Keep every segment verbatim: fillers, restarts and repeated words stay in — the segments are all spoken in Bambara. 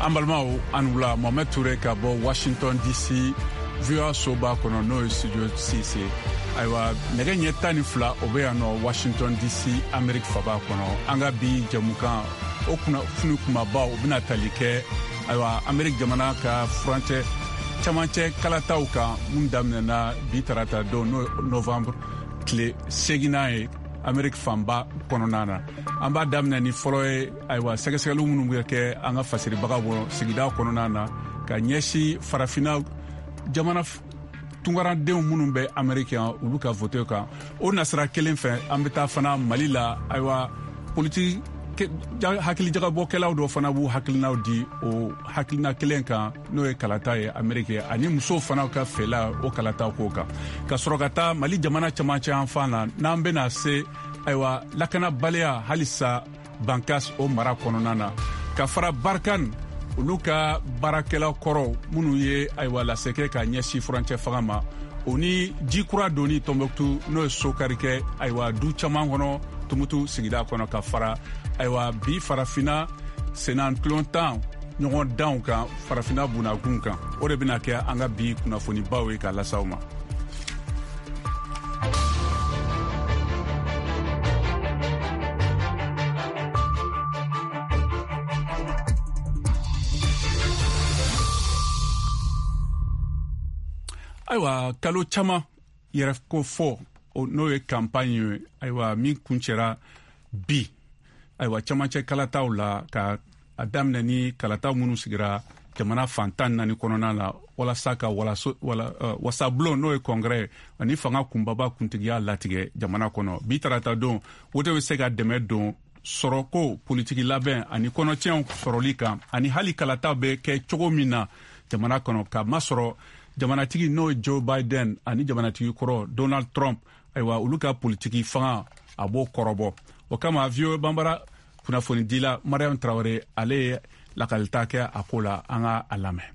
An balimaw, an wula. Mohamed Touré ka bɔ Washington D C, V O A soba kɔnɔ, n'o ye studio six. Ayiwa, nɛgɛ ɲɛ tan ni fila o bɛ yan nɔ Washington D C, Amerique faba kɔnɔ. An ka bi jɛmukan o kunnafoni kumabaw, o bɛna tali kɛ, ayiwa, Amerique jamana ka furancɛ camancɛ kalataw kan, mun daminɛna bi tarata don, n'o novembre tile seginnan ye, Amerique fanba kɔnɔna na. An b'a daminɛ ni fɔlɔ ye, ayiwa, sɛgɛsɛgɛliw minnu bɛ kɛ an ka fasiribagaw bɔ sigida kɔnɔna na ka ɲɛsin Farafina jamana tunkaradenw minnu bɛ Ameriki yan, olu ka vote kan. O nasira kelen fɛ, an bɛ taa fana Mali la. Ayiwa, politiki hakilijagabɔkɛlaw dɔ fana b'u hakilinaw di o hakilina kelen kan, n'o ye kalata ye Ameriki, ani musow fana ka fɛla o kalata ko kan. Ka sɔrɔ ka taa Mali jamana camancɛ yan fan na, n'an bɛna se, ayiwa, lakanabaliya halisa Bankas o mara kɔnɔna na, ka fara Barkhane olu ka baarakɛla kɔrɔw minnu ye, ayiwa, lasɛkɛ ka ɲɛsin furancɛ fanga ma, o ni ji kura donni Tɔnbɔkutu, n'o ye sokari kɛ, ayiwa, du caman kɔnɔ Tumutu sigida kɔnɔ, ka fara, ayiwa, bi Farafina senna tan ɲɔgɔn danw kan Farafina bunakun kan. O de bɛna kɛ an ka bi kunnafonibaw ye ka lasaw ma. Ayiwa, kalo caman yɛrɛ ko fɔ, n'o ye campagne ye, ayiwa, min kuncɛra bi, ayiwa, camancɛ kalataw la, ka a daminɛ ni kalataw minnu sigira jamana fan tan naani kɔnɔna la, walasa ka walaso, wala, uh, wasabulon, n'o ye congrès, ani fanga kunbaba kuntigiya latigɛ jamana kɔnɔ. Bi tarata don, wote bɛ se ka dɛmɛ don sɔrɔko, politiki labɛn ani kɔnɔtiɲɛw sɔrɔli kan, ani hali kalataw bɛ kɛ cogo min na jamana kɔnɔ, ka masɔrɔ jamanatigi, n'o ye Joe Biden, ani jamanatigi kɔrɔ Donald Trump, ayiwa, olu ka politiki fanga a b'o kɔrɔbɔ. O kama, V O A Banbara kunnafonidila Mariam Traore, ale ye lakalita kɛ a ko la. An ka a lamɛn.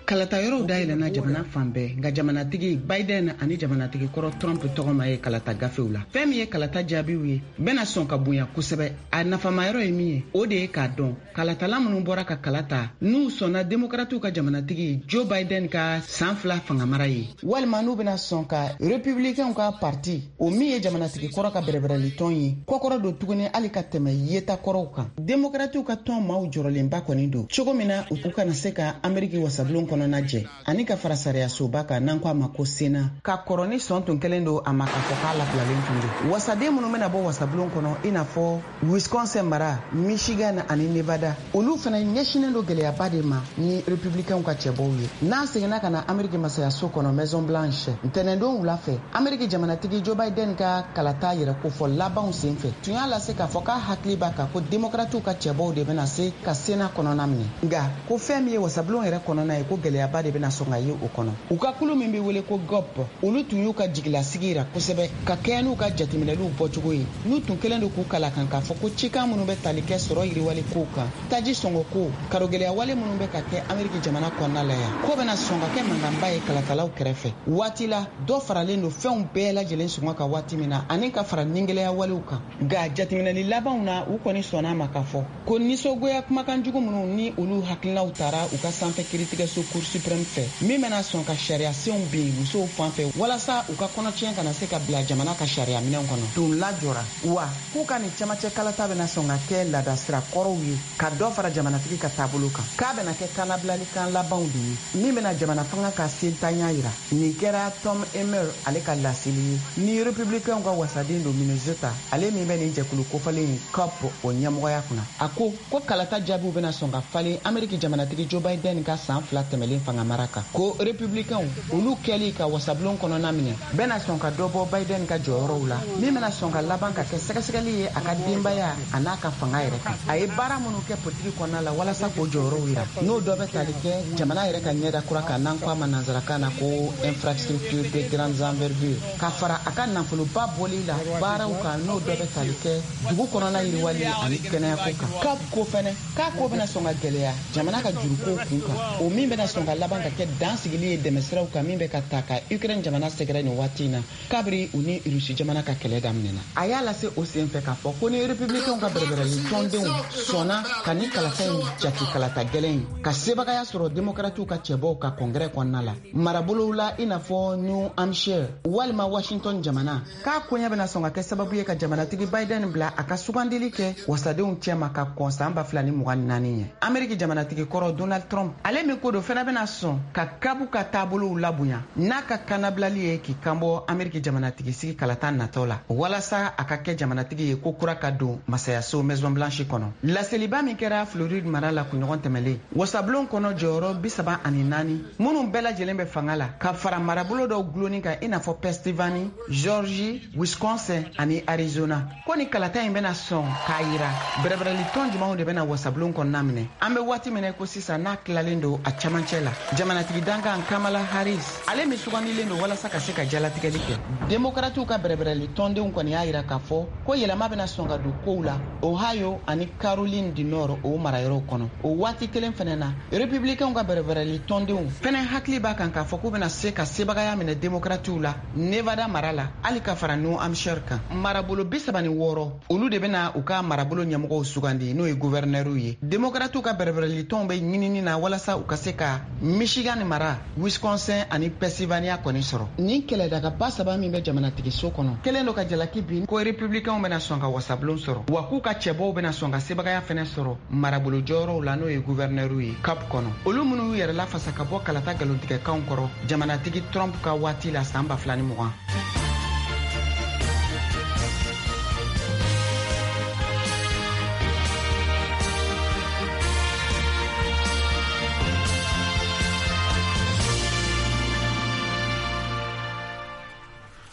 Kalata yɔrɔw dayɛlɛna jamana fan bɛɛ, nka jamanatigi Biden ani jamanatigi kɔrɔ Trump tɔgɔ ma ye kalata gafew la. Fɛn min ye kalata jaabiw ye, bɛna sɔn ka bonya kosɛbɛ. A nafamayɔrɔ ye min ye, o de ye k'a dɔn kalatala minnu bɔra ka kala ta, n'u sɔnna Demokratiw ka jamanatigi Joe Biden ka san fila fangamara ye, walima n'u bɛna sɔn ka Republicainw ka parti, o min ye jamanatigi kɔrɔ ka bɛrɛbɛrɛlitɔn ye, kɔkɔrɔ don tuguni hali ka tɛmɛ yeta kɔrɔw kan. Demokratiw ka tɔn maaw jɔrɔlenba kɔni don cogo min na u kana se ka Ameriki wasabulon kɔnɔna jɛ, ani ka fara sariyasoba kan, n'an ko a ma ko Sena, ka kɔrɔ ni sɔn tun kɛlen don a ma k'a fɔ k'a labilalen tun don. Wasaden minnu bɛna bɔ wasabulon kɔnɔ, i n'a fɔ Wisconsin mara, Michigan ani Nevada, olu fana ɲɛsinnen don gɛlɛyaba de ma ni Republicainw ka cɛbɔw ye. N'an seginna ka na Ameriki masayaso kɔnɔ, Maison Blanche, ntɛnɛndon wula fɛ, Ameriki jamanatigi Joe Biden ka kalata yɛrɛ kofɔ labanw sen fɛ, tun y'a lase k'a fɔ k'a hakili b'a kan ko Demokratiw ka cɛbɔw de bɛna se ka Sena kɔnɔna minɛ, nka ko fɛn min ye wasabulon yɛrɛ kɔnɔna ye, ko gɛlɛyaba de bɛna sɔn ka ye o kɔnɔ. U ka kulu min bɛ wele ko G O P, olu tun y'u ka jigilasigi yira kosɛbɛ ka kɛɲɛ n'u ka jateminɛliw bɔcogo ye, n'u tun kɛlen don k'u kala kan k'a fɔ ko cikan minnu bɛ tali kɛ sɔrɔ yiriwali kow kan, taji sɔngɔ ko, karogɛlɛya wale minnu bɛ ka kɛ Ameriki jamana kɔnɔna la yan, ko bɛna sɔn ka kɛ mankanba ye kalatalaw kɛrɛfɛ waati la dɔ faralen don fɛnw bɛɛ lajɛlen sɔngɔ kan waati min na, ani ka fara ningɛlɛya walew kan. Nka jateminɛli labanw na, u kɔni sɔnna a ma k'a fɔ ko nisɔngoya kumakan jugu minnu ni olu hakilinaw tara u ka sanfɛ kiritigɛso Cour suprême fɛ, min bɛna sɔn ka sariya senw bin musow fan fɛ walasa u ka kɔnɔtiɲɛ kana se ka bila jamana ka sariya minɛn kɔnɔ, tun lajɔra wa k'u ka nin camancɛ kalata bɛna sɔn ka kɛ laadasira kɔrɔw ye ka dɔ fara jamanatigi ka taabolo kan, k'a bɛna kɛ kannabilalikan labanw de ye min bɛna jamana fanga ka sentanya yira. Nin kɛra Tom Emmer ale ka laseli ye, ni Republicainw ka wasaden don Minnesota, ale min bɛ nin jɛkulu kofɔlen ye G O P o ɲɛmɔgɔya kunna. A ko ko kalata jaabiw bɛna sɔn ka falen Ameriki jamanatigi Joe Biden ka san fila tɛmɛnen. tɛmɛlen fanga mara kan. Ko républicainw olu kɛli ka wasabulon kɔnɔna minɛ bɛna sɔn ka dɔ bɔ Biden ka jɔyɔrɔw la, min bɛna sɔn ka laban ka kɛ sɛgɛsɛgɛli ye a ka denbaya a n'a ka fanga yɛrɛ kan. A ye baara minnu kɛ politiki kɔnɔna la walasa k'o jɔyɔrɔw yira, n'o dɔ bɛ tali kɛ jamana yɛrɛ ka ɲɛda kura kan n'an ko a ma nansarakan na ko infrastructure de grandes envergures, ka fara a ka nafoloba bɔli la baaraw kan, n'o dɔ bɛ tali kɛ dugu kɔnɔna yiriwali ani kɛnɛyako kan. K'a ko fɛnɛ k'a ko bɛna sɔn ka gɛlɛya jamana ka jurukow kun kan, o min bɛna sɔn ka laban ka kɛ dansigili ye dɛmɛsiraw kan min bɛ ka ta ka Ukraine jamana sɛgɛrɛ nin waati in na kabiri u ni Rusi jamana ka kɛlɛ daminɛna. A y'a lase o senfɛ k'a fɔ ko ni républicainw ka bɛrɛbɛrɛli tɔndenw sɔnna ka ni kalata in jate kalata gɛlɛn in ka sebagaya sɔrɔ démocratiw ka cɛbɔw ka congrès kɔnɔna la marabolow la i n'a fɔ New Hampshire walima Washington jamana, k'a koɲɛ bɛna sɔn ka kɛ sababu ye ka jamanatigi Biden bila a ka sugandili kɛ wasadenw cɛma ka kɔn san ba fila ni mugan ni naani ɲɛ. Ameriki jamanatigi kɔrɔ Donald Trump ale min ko don fɛnɛ bɛna sɔn ka kabu ka taabolow labonya n'a ka kanabilali ye k'i kanbɔ Ameriki jamanatigi sigi kalata natɔ la walasa a ka kɛ jamanatigi ye ko kura ka don masayaso Maison Blanche kɔnɔ. Laseliba min kɛra Floride mara la kunɲɔgɔn tɛmɛlen, wasabulon kɔnɔ jɔyɔrɔ bi saba ani naani minnu bɛɛ lajɛlen bɛ fanga la ka fara marabolo dɔw gulonni kan i n'a fɔ Pennsylvanie, Georgie, Wisconsin ani Arizona, ko ni kalata in bɛna sɔn k'a yira bɛrɛbɛrɛli tɔn jumɛnw de bɛna wasabulon kɔnɔna minɛ. An bɛ waati min ko sisan n'a tilalen don a camancɛ la, jamanatigi dankan Kamala Harris ale min sugandilen don walasa ka se ka jalatigɛli kɛ. Demokratiw ka bɛrɛbɛrɛli tɔndenw kɔni y'a yira k'a fɔ ko yɛlɛma bɛna sɔn ka don kow la Ohio ani Caroline du Nord o marayɔrɔw kɔnɔ. O waati kelen fɛnɛ na, républicainw ka bɛrɛbɛrɛli tɔndenw fɛnɛ hakili b'a kan k'a fɔ k'u bɛna se ka sebagaya minɛ demokratiw la Nevada mara la hali ka fara New Hampshire kan. Marabolo bi saba ni wɔɔrɔ olu de bɛna u ka marabolo ɲɛmɔgɔw sugandi n'o ye gouverneur ye. Demokratiw ka bɛrɛbɛrɛli tɔnw bɛ ɲinini na walasa u ka se ka Michigan mara, Wisconsin ani Pennsylvania kɔni sɔrɔ. Nin kɛlɛdagaba saba min bɛ jamanatigiso kɔnɔ kelen don ka jalaki bin ko républicainw bɛna sɔn ka wasabulon sɔrɔ, wa k'u ka cɛbɔw bɛna sɔn ka sebagaya fɛnɛ sɔrɔ marabolo jɔyɔrɔw la n'o ye gouverneur ye Cap kɔnɔ. Olu minnu y'u yɛrɛ lafasa ka bɔ kalata nkalontigɛkanw kɔrɔ jamanatigi Trump ka waati la san ba fila ni mugan.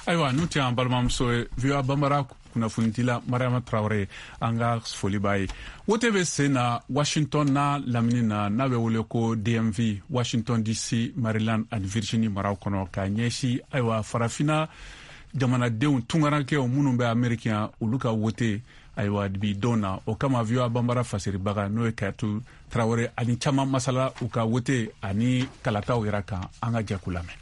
Ayiwa, n'u tɛ an balimamuso ye V O A Bambara kunnafonidila Mariama Traoré, an ka foli b'a ye. Wote bɛ sen na Washington n'a lamini na n'a bɛ wele ko D M V, Washington D C, Maryland ani Virginie maraw kɔnɔ ka ɲɛsin ayiwa farafinna jamanadenw tunkarankew minnu bɛ Ameriki yan olu ka wote ayiwa bi don na. O kama V O A Bambara fasiribaga n'o ye Kayatu Traoré ani caman masala u ka wote ani kalataw yɛrɛ kan, an ka jɛ k'u lamɛn.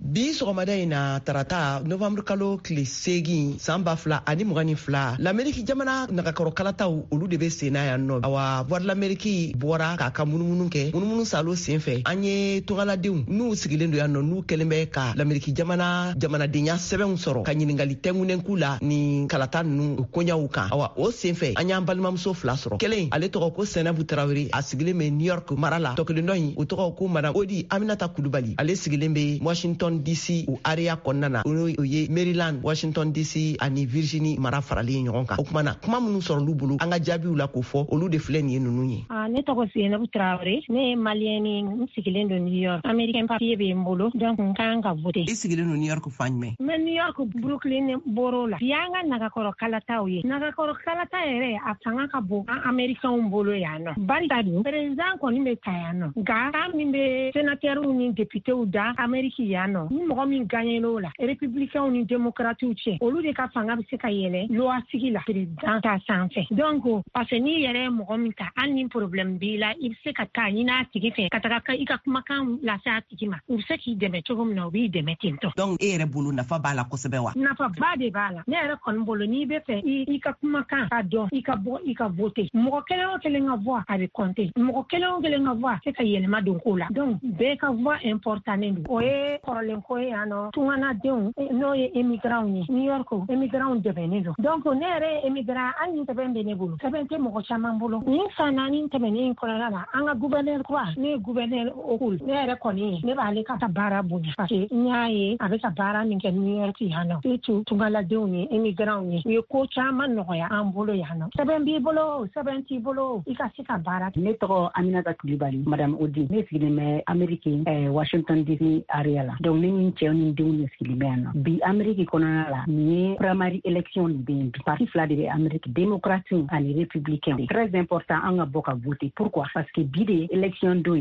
Bi sɔgɔmada in na tarata novembre kalo tile seegin san ba fila ani mugan ni fila, l'Ameriki jamana nagakɔrɔ kalataw olu de bɛ senna yan nɔ. Awa Voix de l'Amérique bɔra k'a ka munumunu kɛ, munumunu salo sen fɛ an ye tɔgɔladenw n'u sigilen don yan nɔ n'u kɛlen bɛ ka l'Ameriki jamana jamanadenya sɛbɛnw sɔrɔ ka ɲininkali tɛngunen k'u la ni kalata ninnu koɲaw kan. Awa o sen fɛ an y'an balimamuso fila sɔrɔ, kelen ale tɔgɔ ko Sɛnɛbu Tarawele, a sigilen bɛ New York mara la, tɔ kelen dɔ in o tɔgɔ ko Madame Odi Aminata Kulubali, ale sigilen bɛ Washington D C o area kɔnɔna na, o ye Maryland, Washington D C ani Virginie mara faralen ɲɔgɔn kan. O kuma na kuma minnu sɔrɔl'u bolo an ka jaabiw la k'o fɔ olu de filɛ nin ye ninnu ye. Ne tɔgɔ Seynabou Traoré, ne ye maliyɛn ye, n sigilen don New York. Américain papier bɛ n bolo, donc n kan ka voter. I sigilen don New York fan jumɛn? N bɛ New York Brooklyn borough la. Bi y'an ka nagakɔrɔ kalataw ye. Nagakɔrɔ kalata yɛrɛ a fanga ka bon an américains bolo yan nɔ. Barika dun président kɔni bɛ ta yan nɔ, nka kan min bɛ sénateurs ni députés da Amérique yan nɔ, ni mɔgɔ min gagnera o la, républicains ni démocrates cɛ, olu de ka fanga bɛ se ka yɛlɛ loi sigi la président ta sanfɛ. Donc parce que n'i yɛrɛ ye mɔgɔ min ta, hali ni problème b'i la, i bɛ se ka taa ɲini a tigi fɛ ka taga i ka kumakan lase a tigi ma, u bɛ se k'i dɛmɛ cogo min na, u b'i dɛmɛ ten tɔ. Donc e yɛrɛ bolo nafa b'a la kosɛbɛ wa? Nafaba de b'a la. Ne yɛrɛ kɔni bolo, n'i bɛ fɛ i ka kumakan ka dɔn, i ka bɔ i ka voter. Mɔgɔ kelen o kelen ka voix a bɛ compter, mɔgɔ kelen o kelen ka voix se ka yɛlɛma don ko la. Donc bɛɛ ka voix important don. O ye kɔrɔlen dogolen ko ye yan nɔ, tunganadenw, n'o ye immigrants ye, New York immigrants dɛmɛnen don. Donc ne yɛrɛ ye immigrant, hali ni sɛbɛn bɛ ne bolo, sɛbɛn tɛ mɔgɔ caman bolo. Nin san naani tɛmɛnen kɔnɔna la, an ka gouverneur kura, ne ye gouverneur Hochul, ne yɛrɛ kɔni ye, ne b'ale ka baara bonya, parce que n y'a ye a bɛ ka baara min kɛ New York yan nɔ, surtout tungaladenw ye, immigrants ye, u ye ko caman nɔgɔya an bolo yan nɔ. Sɛbɛn b'i bolo, sɛbɛn t'i bolo, i ka se ka baara kɛ. Ne tɔgɔ Aminata Kulibali, madame Odi. Ne sigilen bɛ Ameriki, eh, Washington D C area la. Donc ne ni n cɛw ni denw de sigilen bɛ yan nɔ bi. Ameriki kɔnɔna la, nin ye primary election de bɛ yen bi. Parti fila de bɛ Ameriki, démocrate ani républicain. Très important an ka bɔ ka voter. Pourquoi? Parce que bi de élection don.